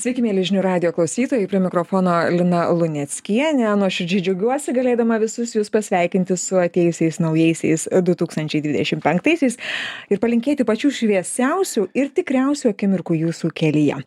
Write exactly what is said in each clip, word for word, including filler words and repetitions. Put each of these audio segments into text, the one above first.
Sveiki, mėly žinių radijo klausytojai, prie mikrofono Lina Luneckienė. Nuoširdžiai džiaugiuosi galėdama visus jūs pasveikinti su atėjusiais naujaisiais du tūkstančiai dvidešimt penktaisiais ir palinkėti pačių šviesiausių ir tikriausių akimirkų jūsų kelyje.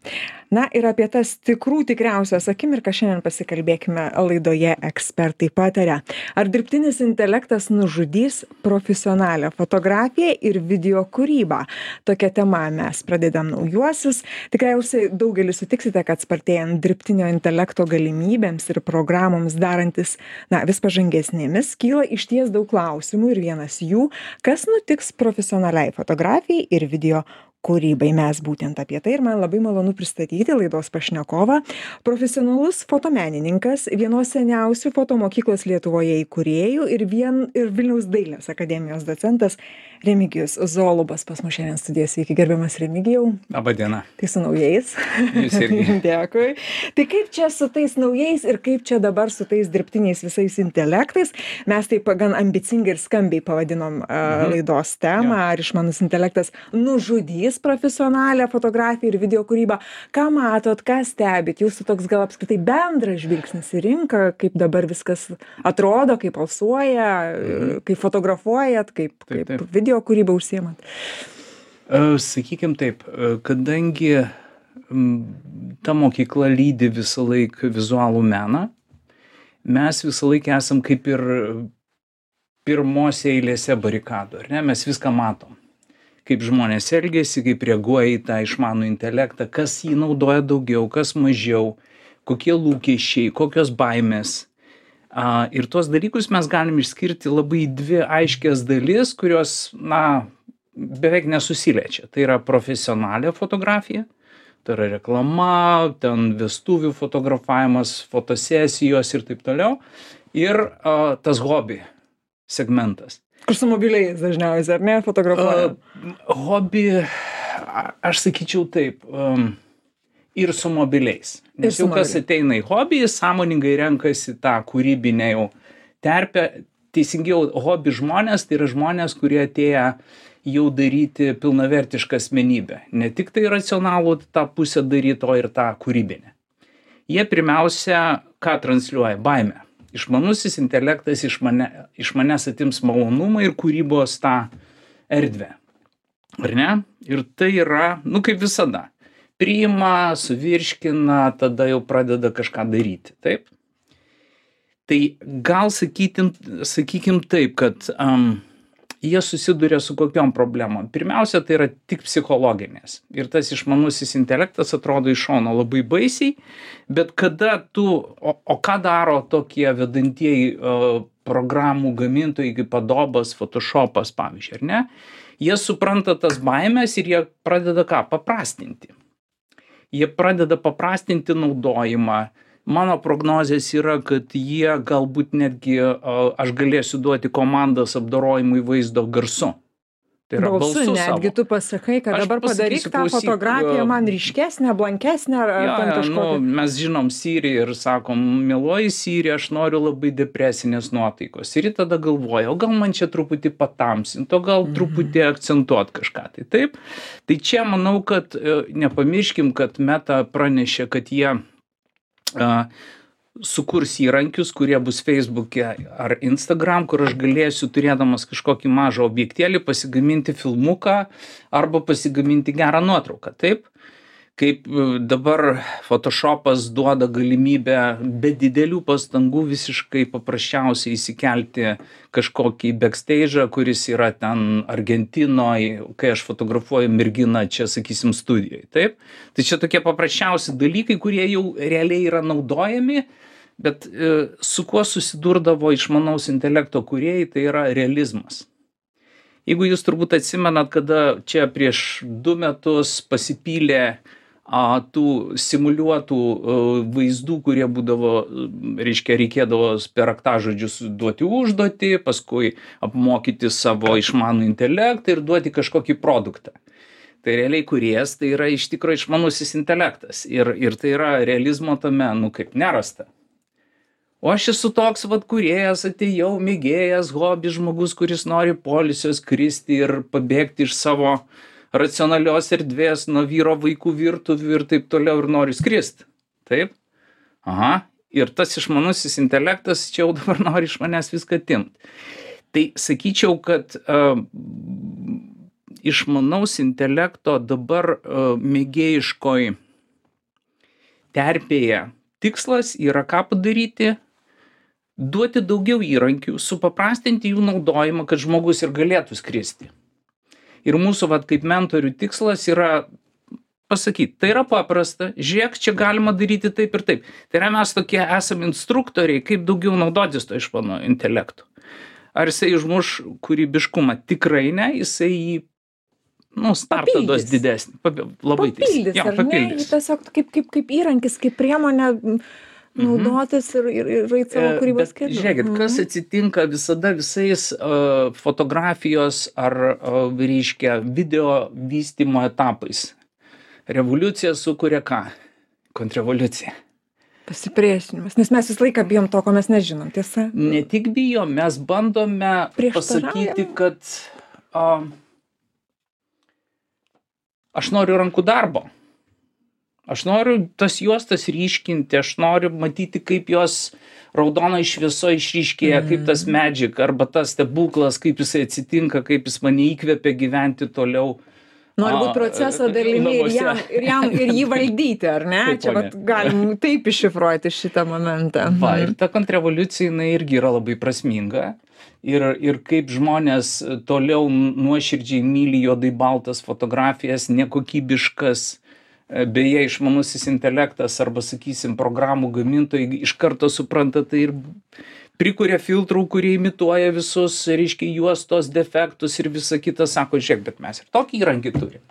Na ir apie tas tikrų tikriausias akimirkas šiandien pasikalbėkime laidoje Ekspertai pataria. Ar dirbtinis intelektas nužudys profesionalią fotografiją ir video kūrybą? Tokia tema mes pradedam naujuosius. Tikriausiai daugelis sutiksite, kad spartėjant dirbtinio intelekto galimybėms ir programoms darantis na, vis pažangesnėmis, kyla išties daug klausimų ir vienas jų, kas nutiks profesionaliai fotografijai ir video kūrybai. Mes būtent apie tai ir man labai malonu pristatyti laidos pašnekovą, profesionalus fotomenininkas, vienos seniausių fotomokyklos Lietuvoje įkūrėjų ir, vien, ir Vilniaus dailės akademijos docentas Remigijus Zolubas pas mus šiandien studijas. Sveiki, gerbiamas Remigijau. Labą dieną. Tai su naujais. Jūs irgi. Dėkui. Tai kaip čia su tais naujais ir kaip čia dabar su tais dirbtiniais visais intelektais? Mes taip gan ambicingai ir skambiai pavadinom uh, mhm. laidos temą, ja. Ar išmanus intelektas nužudys profesionalią fotografiją ir video kūrybą. Ką matot, ką stebit? Jūsų toks gal apskritai bendras žvilgsnis į rinką, kaip dabar viskas atrodo, kaip alsuoja, mhm. kaip fotografuojat, kaip, taip, kaip taip. Video kūrybą užsiemat. Sakykim taip, kadangi ta mokykla lydi visą laiką vizualų meną, mes visą laiką esam kaip ir pirmose eilėse barikadų, ar ne? Mes viską matom. Kaip žmonės elgiasi, kaip reaguoja į tą išmanų intelektą, kas jį naudoja daugiau, kas mažiau, kokie lūkesčiai, kokios baimės. Uh, ir tuos dalykus mes galim išskirti labai dvi aiškias dalis, kurios, na, beveik nesusiliečia. Tai yra profesionalią fotografiją, tai yra reklama, ten vestuvių fotografavimas, fotosesijos ir taip toliau. Ir uh, tas hobby segmentas. Kur su mobiliais dažniausiai, ar ne, fotografuoja? Uh, hobby, aš sakyčiau taip, um, ir su mobiliais. Nes jau kas ateina į hobį, sąmoningai renkasi tą kūrybinę jau terpę. Teisingiau, hobį žmonės, tai yra žmonės, kurie atėję jau daryti pilnavertišką asmenybę. Ne tik tai racionalų tą pusę daryti, o ir tą kūrybinę. Jie pirmiausia, ką transliuoja? Baimę. Išmanusis intelektas iš, mane, iš manęs atims malonumą ir kūrybos tą erdvę. Ar ne? Ir tai yra, nu kaip visada. Priima, suvirškina, tada jau pradeda kažką daryti, taip? Tai gal sakykim, sakykim taip, kad um, jie susiduria su kokiom problemom. Pirmiausia, tai yra tik psichologinės. Ir tas išmanusis intelektas atrodo iš šono labai baisiai, bet kada tu, o, o ką daro tokie vedantieji uh, programų gamintojai kaip Adobas, Photoshopas, pavyzdžiui, ar ne? Jie supranta tas baimės ir jie pradeda ką? Paprastinti. Jie pradeda paprastinti naudojimą. Mano prognozės yra, kad jie galbūt netgi, aš galėsiu duoti komandas apdorojimui vaizdo garsu. Tai yra balsu, balsu netgi savo. Tu pasakai, kad aš dabar padaryk tą klausyk, fotografiją man ryškesnę, blankesnę ar ja, ten kažkokią. Nu, mes žinom Siri ir sakom, mieloji Siri, aš noriu labai depresinės nuotaikos. Ir tada galvoja, o gal man čia truputį patamsinti, o gal truputį akcentuot kažką. Tai taip. Tai čia manau, kad nepamirškim, kad Meta pranešė, kad jie uh, sukurs įrankius, kurie bus Facebook'e ar Instagram, kur aš galėsiu, turėdamas kažkokį mažą objektėlį, pasigaminti filmuką arba pasigaminti gerą nuotrauką. Taip? Kaip dabar Photoshopas duoda galimybę be didelių pastangų visiškai paprasčiausiai įsikelti kažkokį backstage'ą, kuris yra ten Argentinoje, kai aš fotografuoju merginą čia, sakysim, studijoje. Taip? Tai čia tokie paprasčiausi dalykai, kurie jau realiai yra naudojami, bet e, su kuo susidurdavo išmanaus intelekto kūrėjai, tai yra realizmas. Jeigu jūs turbūt atsimenat, kada čia prieš du metus pasipylė a, tų simuliuotų a, vaizdų, kurie būdavo, reiškia, reikėdavo per raktažodžius duoti užduotį, paskui apmokyti savo išmanų intelektą ir duoti kažkokį produktą. Tai realiai kūrėjas, tai yra iš tikro išmanusis intelektas ir, ir tai yra realizmo tame, nu kaip nerasta. O aš esu toks vat kūrėjas, atėjau, mėgėjas, hobi žmogus, kuris nori poilsio skristi ir pabėgti iš savo racionalios erdvės, nuo vyro vaikų virtuvių ir taip toliau ir noriu skristi. Taip? Aha. Ir tas išmanusis intelektas čia jau dabar nori iš manęs viską atimt. Tai sakyčiau, kad uh, išmanaus intelekto dabar uh, mėgėjiškoj terpėje tikslas yra ką padaryti, duoti daugiau įrankių, supaprastinti jų naudojimą, kad žmogus ir galėtų skristi. Ir mūsų, vat, kaip mentorių tikslas yra pasakyti, tai yra paprasta, žiūrėk, čia galima daryti taip ir taip. Tai yra mes tokie esame instruktoriai, kaip daugiau naudotis to išmano intelektu. Ar jisai užmuš kūrybiškumą? Tikrai ne, jisai jį, nu, startą duos didesnį. Labai papildys, ja, ar ne? Jis tiesiog kaip, kaip, kaip įrankis, kaip priemonė naudotis ir, ir, ir reit savo kūrybos keliu. Žiūrėkit, kas atsitinka visada visais uh, fotografijos ar, uh, reiškia, video vystymo etapais. Revoliucija sukuria ką? Kontrrevoliucija. Pasipriešinimas, nes mes visą laiką bijom to, ko mes nežinom, tiesa? Ne tik bijom, mes bandome pasakyti, kad uh, aš noriu rankų darbo. Aš noriu tas juostas ryškinti, aš noriu matyti, kaip jos raudonai švieso išryškėja, mm. kaip tas magic, arba tas stebuklas, kaip jisai atsitinka, kaip jis mane įkvepia gyventi toliau. Nori būti proceso dalimi ir, jam, ir, jam, ir jį valdyti, ar ne? Taip, čia vat, galim taip iššifruoti šitą momentą. Va, ir ta kontrrevoliucija, jinai irgi yra labai prasminga. Ir, ir kaip žmonės toliau nuoširdžiai myli juodai baltas fotografijas, nekokybiškas, beje, išmanusis intelektas arba, sakysim, programų gamintojai iš karto supranta tai ir prikuria filtrų, kurie imituoja visus, reiškia, juostos defektus ir visa kita, sako, žiūrėk, bet mes ir tokį įrankį turim.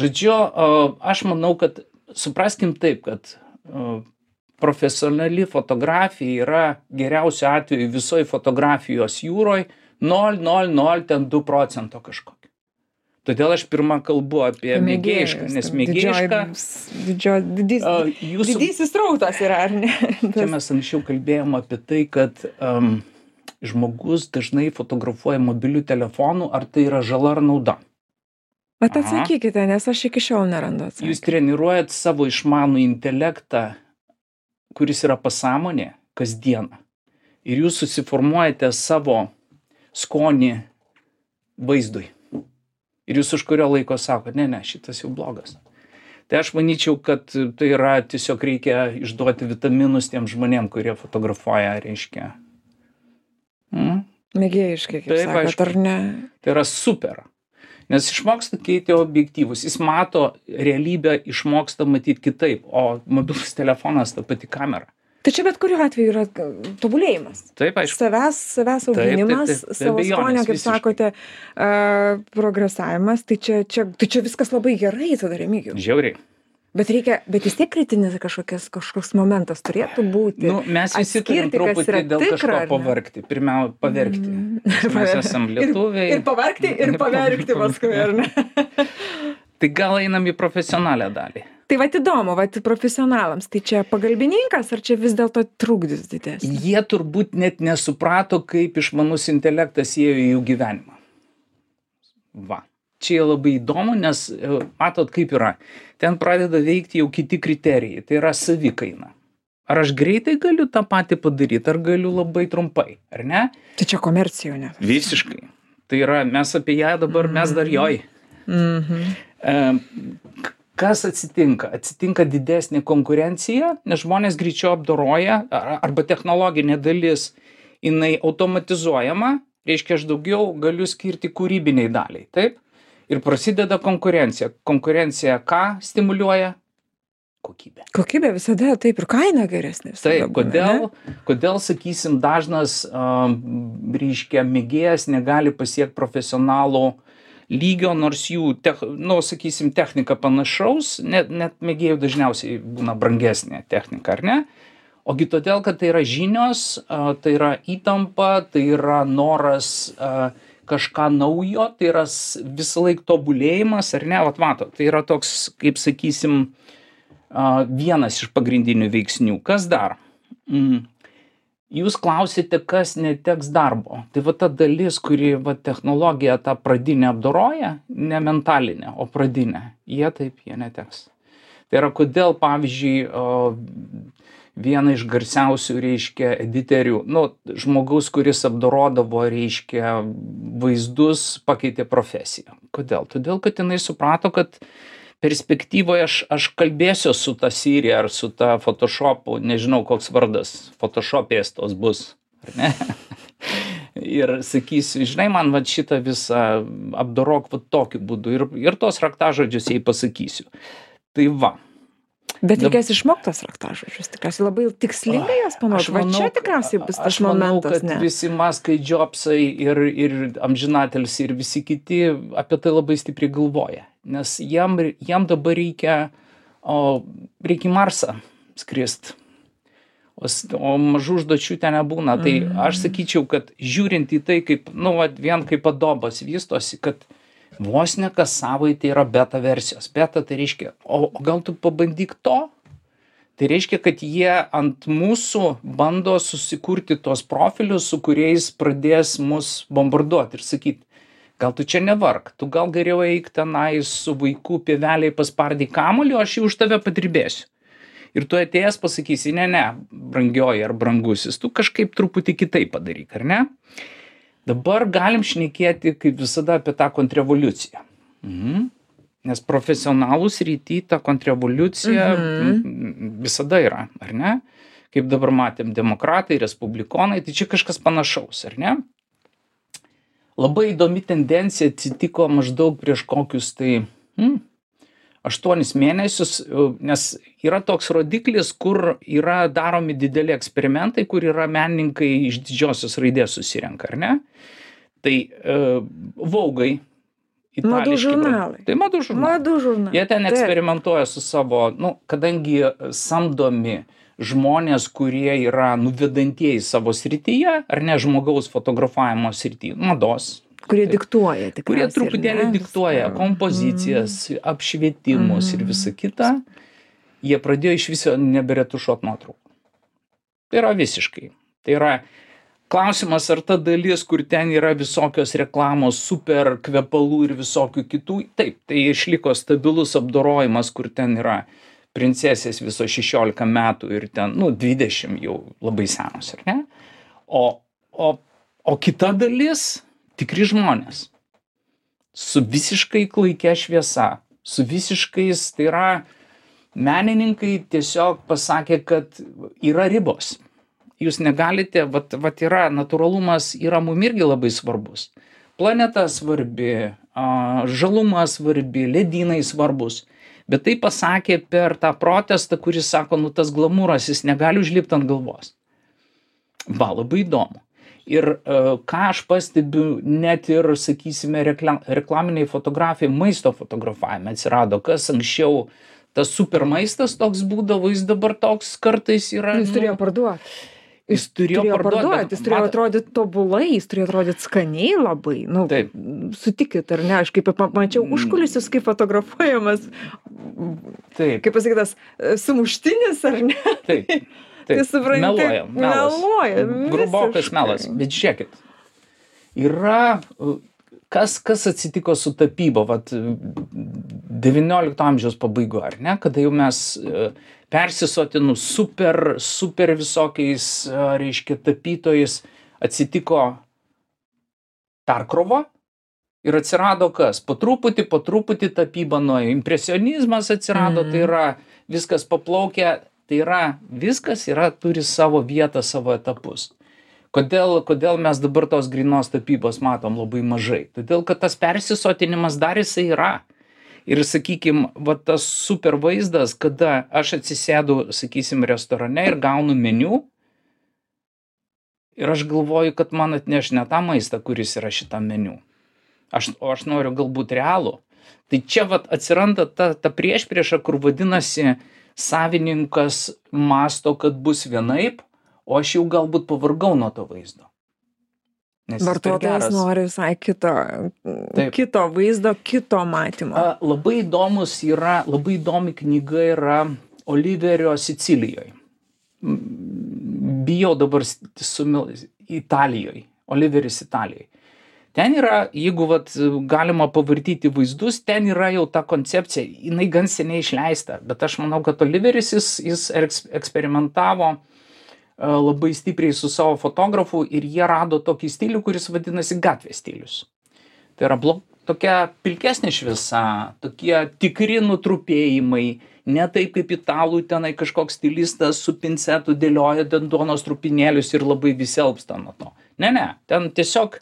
Žodžiu, aš manau, kad supraskim taip, kad profesionali fotografija yra geriausiu atveju visoje fotografijos jūroje nol nulis nulis du procento kažkokio. Todėl aš pirmą kalbu apie mėgėjišką, nes mėgėjiška... Didžio, didys, uh, jūsų, didysis srautas yra, ar ne? Čia mes anksčiau kalbėjom apie tai, kad um, žmogus dažnai fotografuoja mobilių telefonų, ar tai yra žala ar nauda. Bet atsakykite, nes aš iki šiol nerandu atsakymą. Jūs treniruojat savo išmanų intelektą, kuris yra pasąmonė, kasdieną. Ir jūs susiformuojate savo skonį vaizdui. Ir jūs už kurio laiko sako, ne, ne, šitas jau blogas. Tai aš manyčiau, kad tai yra tiesiog reikia išduoti vitaminus tiem žmonėm, kurie fotografuoja, reiškia. Mm? Mėgėjiškai, kaip Taip, sakot, aišku, ar ne? Tai yra super. Nes išmoksta keiti objektyvus. Jis mato realybę, išmoksta matyti kitaip. O mobilus telefonas ta pati kamera. Tai čia bet kuriuo atveju yra tobulėjimas. Taip, aišku. Savęs, savęs auginimas, taip, taip, taip, savo skonio, kaip visiškai. Sakote, uh, progresavimas, tai čia, čia, tai čia viskas labai gerai, tada Remigijau. Žiauriai. Bet reikia, bet vis tiek kritinis kažkokias, kažkoks momentas turėtų būti. Nu, mes visi turim truputį dėl tikra, kažko pavargti. Pirmiau, paverkti. Mm. Mes esam lietuviai. Ir, ir pavargti, ir paverkti paskui, ar ne? Tai gal einam į profesionalią dalį. Tai vat įdomu, vat profesionalams, tai čia pagalbininkas, ar čia vis dėlto trukdis didesnis? Jie turbūt net nesuprato, kaip išmanus intelektas ėjo į jų gyvenimą. Va. Čia labai įdomu, nes matot, kaip yra. Ten pradeda veikti jau kiti kriterijai, tai yra savikaina. Ar aš greitai galiu tą patį padaryti, ar galiu labai trumpai, ar ne? Tai čia komercija, ne? Visiškai. Tai yra, mes apie ją dabar, mm-hmm. mes dar joj. Mhm. E, Kas atsitinka? Atsitinka didesnė konkurencija, nes žmonės greičiau apdoroja, arba technologinė dalis, jinai automatizuojama, reiškia, aš daugiau galiu skirti kūrybiniai daliai, taip? Ir prasideda konkurencija. Konkurencija ką stimuliuoja? Kokybė. Kokybė visada, taip, ir kaina geresnė. Taip, kodėl, kodėl, sakysim, dažnas, um, reiškia, mėgėjas negali pasiekti profesionalų lygio, nors jų, tech, nu, sakysim, technika panašaus, net, net mėgėjų dažniausiai būna brangesnė technika, ar ne? Ogi todėl, kad tai yra žinios, tai yra įtampa, tai yra noras kažką naujo, tai yra visą laik tobulėjimas, ar ne? Vat matot, tai yra toks, kaip sakysim, vienas iš pagrindinių veiksnių. Kas dar? Mm. jūs klausite, kas neteks darbo. Tai va ta dalis, kuri va technologija tą pradinę apdoroja, ne mentalinę, o pradinę, jie taip, jie neteks. Tai yra, kodėl, pavyzdžiui, viena iš garsiausių, reiškia, editorių, nu, žmogaus, kuris apdorodavo, reiškia, vaizdus, pakeitė profesiją. Kodėl? Todėl, kad jinai suprato, kad perspektyvoje aš, aš kalbėsiu su ta Siri ar su ta Photoshopu, nežinau, koks vardas, Photoshopės tos bus, ar ne? Ir sakysiu, žinai, man va šitą visą apdorok va tokiu būdu ir, ir tos raktažodžius jai pasakysiu. Tai va. Bet reikės išmokti tos raktažodžius, tikriausiai labai tikslingai jas panaudoti. Va čia tikriausiai bus tas momentas. Aš manau, kad ne. Visi Maskai, Jobsai ir, ir amžinatelis ir visi kiti apie tai labai stipriai galvoja. Nes jam, jam dabar reikia, o, reikia į Marsą skrist. O, o mažų užduočių ten nebūna. Tai aš sakyčiau, kad žiūrint į tai, kaip, nu, va, vien kaip Adobas vystosi, kad vos ne kas savaitė yra beta versijos. Beta tai reiškia, o, o gal tu pabandyk to? Tai reiškia, kad jie ant mūsų bando susikurti tos profilius, su kuriais pradės mus bombarduoti ir sakyti, gal tu čia nevark, tu gal geriau eik tenai su vaiku pieveliai paspardyk kamuolį, o aš jau už tave padirbėsiu. Ir tu atėjęs pasakysi, ne, ne, brangioji ar brangusis, tu kažkaip truputį kitaip padaryk, ar ne? Dabar galim šnekėti, kaip visada, apie tą kontrrevoliuciją. Mhm. Nes profesionalų srity ta kontrrevoliucija mhm. visada yra, ar ne? Kaip dabar matėm, demokratai, respublikonai, tai čia kažkas panašaus, ar ne? Labai įdomi tendencija atsitiko maždaug prieš kokius tai hmm, aštuonis mėnesius, nes yra toks rodiklis, kur yra daromi dideli eksperimentai, kur yra menininkai iš didžiosios raidės susirenka, ar ne? Tai uh, Vaugai, itališki. Madų žurnalai. Tai madų žurnalai. Madų žurnalai. Jie ten eksperimentuoja su savo, nu, kadangi samdomi žmonės, kurie yra nuvedantieji savo srityje, ar ne žmogaus fotografavimo srityje, mados. Kurie diktuoja tikriausiai. Kurie truputėlį diktuoja kompozicijas, mm. apšvietimus mm. ir visą kitą. Jie pradėjo iš viso neberetušuot nuotraukų. Tai yra visiškai. Tai yra klausimas, ar ta dalis, kur ten yra visokios reklamos, super kvepalų ir visokių kitų, taip, tai išliko stabilus apdorojimas, kur ten yra princesės viso šešiolika metų ir ten, nu, dvidešimt jau labai senos, ar ne? O, o, o kita dalis, tikri žmonės, su visiškai klaikia šviesa, su visiškais, tai yra menininkai tiesiog pasakė, kad yra ribos. Jūs negalite, vat, vat yra, natūralumas yra mum irgi labai svarbus. Planeta svarbi, žalumas svarbi, ledynai svarbus. Bet tai pasakė per tą protestą, kuris sako, nu tas glamūras, jis negali užlipti ant galvos. Va, labai įdomu. Ir uh, ką aš pastebiu, net ir, sakysime, reklam, reklaminiai fotografijai, maisto fotografavime atsirado, kas anksčiau tas super maistas toks būdavo, jis dabar toks kartais yra. Jis turėjo parduoti. Jis turėjo, turėjo parduoti, parduoti, jis turėjo mat... atrodyti tobulai, jis turėjo atrodyti skaniai labai. Nu, taip. Sutikit, ar ne, aš kaip pamačiau užkulisius, kaip fotografuojamas, taip. Kaip pasakytas, sumuštinis, ar ne? Taip. Taip. Tai supranti, meluoja, melas. Meluoja, grubokas melas. Bet žiūrėkit, yra, kas, kas atsitiko su tapyba, vat, devyniolikto amžiaus pabaigoje, ar ne, kada jau mes persisotinu super, super visokiais, reiškia, tapytojais, atsitiko perkrova ir atsirado kas? Po truputį, po truputį tapyba nuėjo, impresionizmas atsirado, mm. tai yra viskas paplaukia, tai yra viskas yra, turi savo vietą, savo etapus. Kodėl, kodėl mes dabar tos grynos tapybos matom labai mažai? Todėl, kad tas persisotinimas dar jisai yra. Ir, sakykim, va tas super vaizdas, kada aš atsisėdu, sakysim, restorane ir gaunu meniu ir aš galvoju, kad man atneš ne tą maistą, kuris yra šitam meniu. Aš, o aš noriu galbūt realų. Tai čia va atsiranda ta, ta priešprieša, kur vadinasi savininkas masto, kad bus vienaip, o aš jau galbūt pavargau nuo to vaizdo. Nes vartotojas nori visai kito, kito vaizdo, kito matymo. A, labai įdomus yra, labai įdomi knyga yra Oliverio Sicilijoje. bijau dabar su Italijoj, Oliveris Italijoj. Ten yra, jeigu vat, galima pavartyti vaizdus, ten yra jau ta koncepcija, jinai gan seniai išleista, bet aš manau, kad Oliveris jis, jis eksperimentavo labai stipriai su savo fotografu ir jie rado tokį stilių, kuris vadinasi gatvės stilius. Tai yra blok, tokia pilkesnė šviesa, tokie tikri nutrupėjimai, ne taip kaip italų tenai kažkoks stilistas su pincetu dėlioja ten duonos trupinėlius ir labai visi alpsta nuo to. Ne, ne, ten tiesiog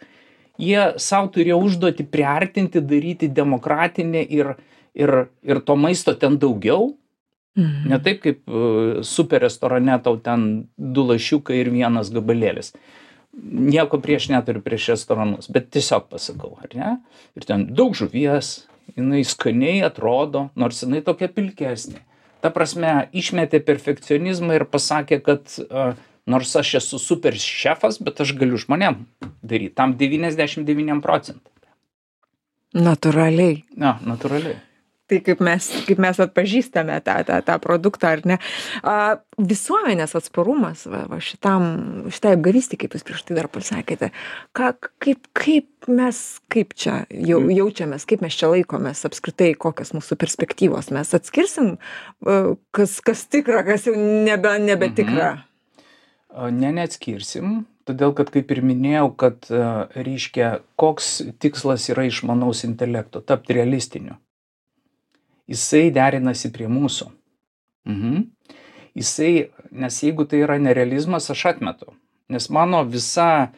jie savo turėjo užduoti priartinti, daryti demokratinį ir, ir, ir to maisto ten daugiau. Mhm. Ne taip kaip uh, super restorane tau ten du lašiukai ir vienas gabalėlis. Nieko prieš neturiu prieš restoranus, bet tiesiog pasakau, ar ne? Ir ten daug žuvies, jinai skaniai atrodo, nors jinai tokia pilkesnė. Ta prasme, išmetė perfekcionizmą ir pasakė, kad uh, nors aš esu super šefas, bet aš galiu žmonėm daryti, tam devyniasdešimt devyni procentai. Natūraliai. Na, natūraliai. Tai kaip mes, kaip mes atpažįstame tą, tą, tą produktą, ar ne? A, visuomenės atsparumas va, va šitam, šitai apgavystį, kaip jūs prieš tai dar pasakėte, ką, kaip, kaip mes, kaip čia jau, jaučiamės, kaip mes čia laikomės apskritai, kokios mūsų perspektyvos, mes atskirsim, kas, kas tikra, kas jau nebe, nebe tikra. Mhm. Ne, neatskirsim, todėl kad, kaip ir minėjau, kad reiškia, koks tikslas yra išmanaus intelekto, tapti realistiniu. Jisai derinasi prie mūsų. Mhm. Jisai, nes jeigu tai yra nerealizmas, aš atmetu. Nes mano visa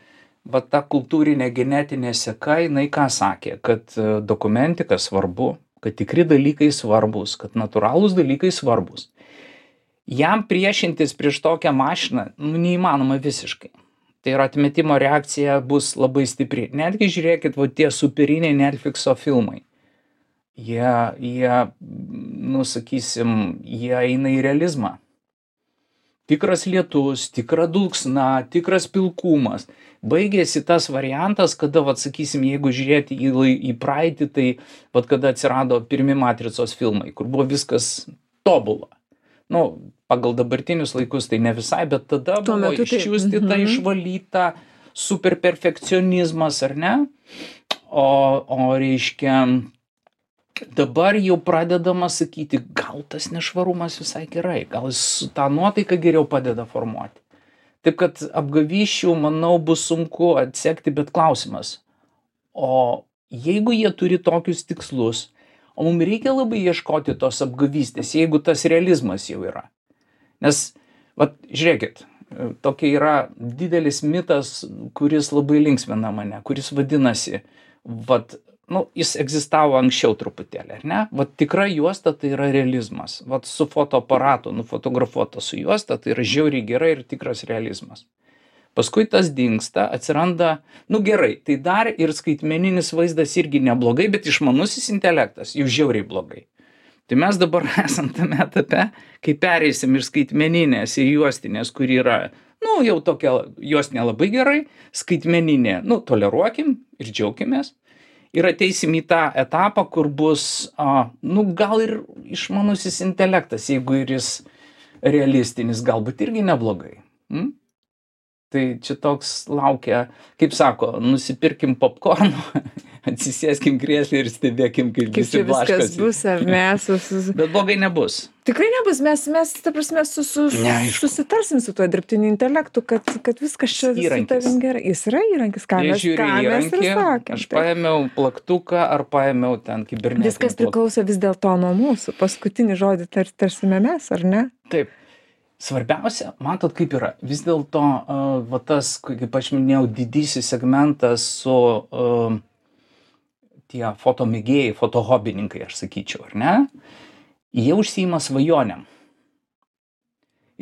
va, ta kultūrinė genetinė seka, jinai ką sakė, kad dokumentika svarbu, kad tikri dalykai svarbus, kad natūralūs dalykai svarbus. Jam priešintis prieš tokią mašiną, nu, neįmanoma visiškai. Tai yra atmetimo reakcija bus labai stipri. Netgi žiūrėkit, va tie superiniai Netflixo filmai. Jie, jie, nu, sakysim, jie eina į realizmą. Tikras lietus, tikra dulksna, tikras pilkumas. Baigėsi tas variantas, kada, va, sakysim, jeigu žiūrėti į, į praeitį, tai va, kada atsirado pirmi Matricos filmai, kur buvo viskas tobula. Nu, pagal dabartinius laikus tai ne visai, bet tada Tuo buvo metu tai- iščiustyta, Mhm. išvalyta, super perfekcionizmas, ar ne? O, o reiškia, dabar jau pradedama sakyti, gal tas nešvarumas visai gerai, gal jis tą nuotaiką geriau padeda formuoti. Taip kad apgavysčių, manau, bus sunku atsekti, bet klausimas. O jeigu jie turi tokius tikslus, o mums reikia labai ieškoti tos apgavystės, jeigu tas realizmas jau yra. Nes, vat, žiūrėkit, tokia yra didelis mitas, kuris labai linksmina mane, kuris vadinasi, vat, nu, jis egzistavo anksčiau truputėlį, ar ne? Vat tikra juosta tai yra realizmas. Vat su fotoaparatu nufotografuota su juosta tai yra žiauriai gerai ir tikras realizmas. Paskui tas dingsta, atsiranda, nu gerai, tai dar ir skaitmeninis vaizdas irgi neblogai, bet išmanusis intelektas jau žiauriai blogai. Tai mes dabar esam tame etape, kai pereisim iš skaitmeninės į juostinės, kur yra, nu jau tokia juostinė labai gerai, skaitmeninė, nu toleruokim ir džiaukimės. Ir ateisim į tą etapą, kur bus, a, nu gal ir išmanusis intelektas, jeigu ir jis realistinis, galbūt irgi neblogai. Hm? Tai čia toks laukia, kaip sako, nusipirkim popkornų, atsisėskim krėslį ir stebėkim, kaip, Kaip visi čia viskas blaškosi. bus, ar ne? Su, su... Bet blogai nebus. Tikrai nebus, mes, mes ta prasme, su, su, Neaišku. susitarsim su tuo dirbtiniu intelektu, kad, kad viskas čia su Įrankis. tavim gerai. Jis yra įrankis, ką Jei mes, žiūri ką mes ir įrankį, sakėm. aš taip. paėmiau plaktuką ar paėmiau ten kibernetinį Viskas plaktuką. priklauso vis dėlto nuo mūsų. Paskutinį žodį tar, tarsime mes, ar ne? Taip. Svarbiausia, matot kaip yra, vis dėlto, uh, va tas, kaip aš minėjau, didysis segmentas su uh, tie fotomėgėjai, fotohobininkai, aš sakyčiau, ar ne? Jie užsiima svajonėm.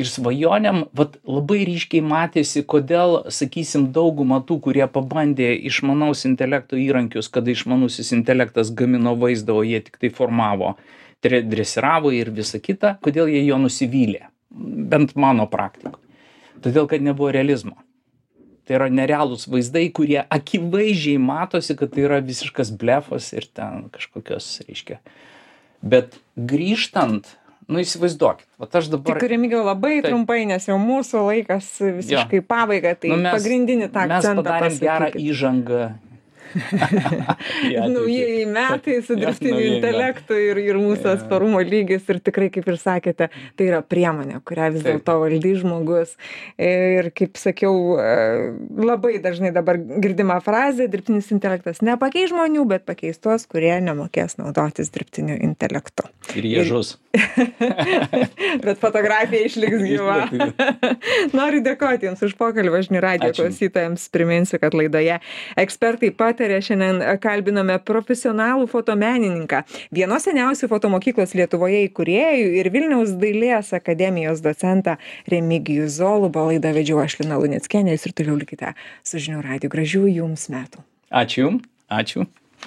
Ir svajonėm, vat, labai ryškiai matėsi, kodėl, sakysim, dauguma tų, kurie pabandė išmanaus intelekto įrankius, kada išmanusis intelektas gamino vaizdą, o jie tik tai formavo, dresiravo ir visa kita, kodėl jie jo nusivylė. Bent mano praktikoje. Todėl, kad nebuvo realizmo. Tai yra nerealūs vaizdai, kurie akivaizdžiai matosi, kad tai yra visiškas blefas ir ten kažkokios, reiškia. Bet grįžtant Nu, įsivaizduokit. Vat aš dabar... Tik Remigijau labai Taip. trumpai, nes jau mūsų laikas visiškai pabaiga, tai Nu, mes- pagrindinį tą Mes akcentą padarėm gerą pasakykit. įžangą. Naujieji metai su Jo, dirbtiniu naujieji intelektu ir, ir mūsų Jo. atsparumo lygis ir tikrai, kaip ir sakėte, tai yra priemonė, kurią vis Taip. dėlto valdys žmogus. Ir kaip sakiau, e, labai dažnai dabar girdima frazė, dirbtinis intelektas nepakeis žmonių, bet pakeis tuos, kurie nemokės naudotis dirbtiniu intelektu. Ir jie žus. Bet fotografija išliks gyva. Noriu dėkoti Jums už pokalbį, žinių radijo Ačiū. klausytojams. Priminsiu, kad laidoje ekspertai patarė, šiandien kalbinome profesionalų fotomenininką, vienos seniausių fotomokyklos Lietuvoje įkūrėjų ir Vilniaus dailės akademijos docentą Remigijų Zolubą. Laidą vedžiau aš, Lina Luneckienė, ir toliau likite su žinių radiju. Gražių Jums metų. Ačiū. Ačiū.